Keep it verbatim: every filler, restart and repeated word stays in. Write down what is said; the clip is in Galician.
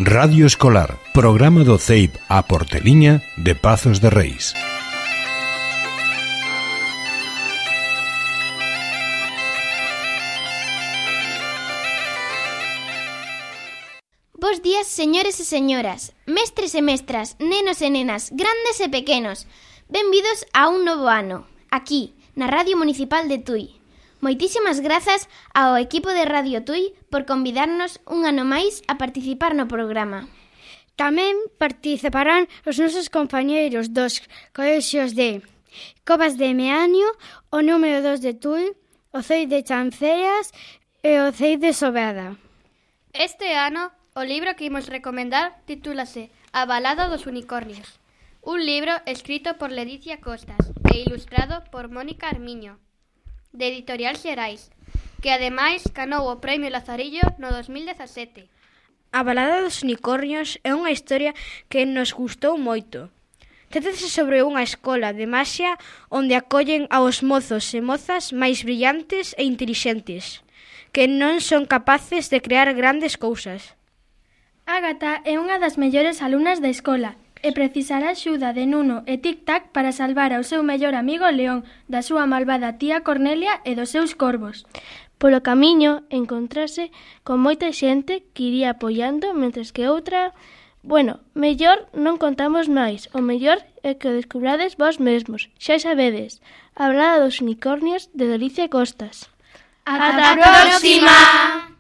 Radio Escolar, programa do C E I P a Porteliña de Pazos de Reis. Bos días, señores e señoras, mestres e mestras, nenos e nenas, grandes e pequenos. Benvidos a un novo ano, aquí, na Radio Municipal de Tui. Moitísimas grazas ao equipo de Radio Tui por convidarnos un ano máis a participar no programa. Tamén participarán os nosos compañeiros dos colexios de Covas de Meaño, o número dos de Tui, o C E I de Chanceas e o C E I de Sobeda. Este ano, o libro que imos recomendar titúlase A balada dos unicornios, un libro escrito por Ledicia Costas e ilustrado por Mónica Armiño, de Editorial Xerais, que ademais ganou o Premio Lazarillo no dos mil dezasete. A balada dos unicornios é unha historia que nos gustou moito. Trátase sobre unha escola de maxia onde acollen aos mozos e mozas máis brillantes e intelixentes, que non son capaces de crear grandes cousas. Ágata é unha das mellores alumnas da escola e precisará axuda de Nuno e Tic-Tac para salvar ao seu mellor amigo León da súa malvada tía Cornelia e dos seus corvos. Polo camiño encontrase con moita xente que iría apoiando, mentres que outra... Bueno, mellor non contamos máis, o mellor é que o descubrades vós mesmos. Xa sabedes, a balada dos unicornios de Ledicia Costas. Ata a próxima!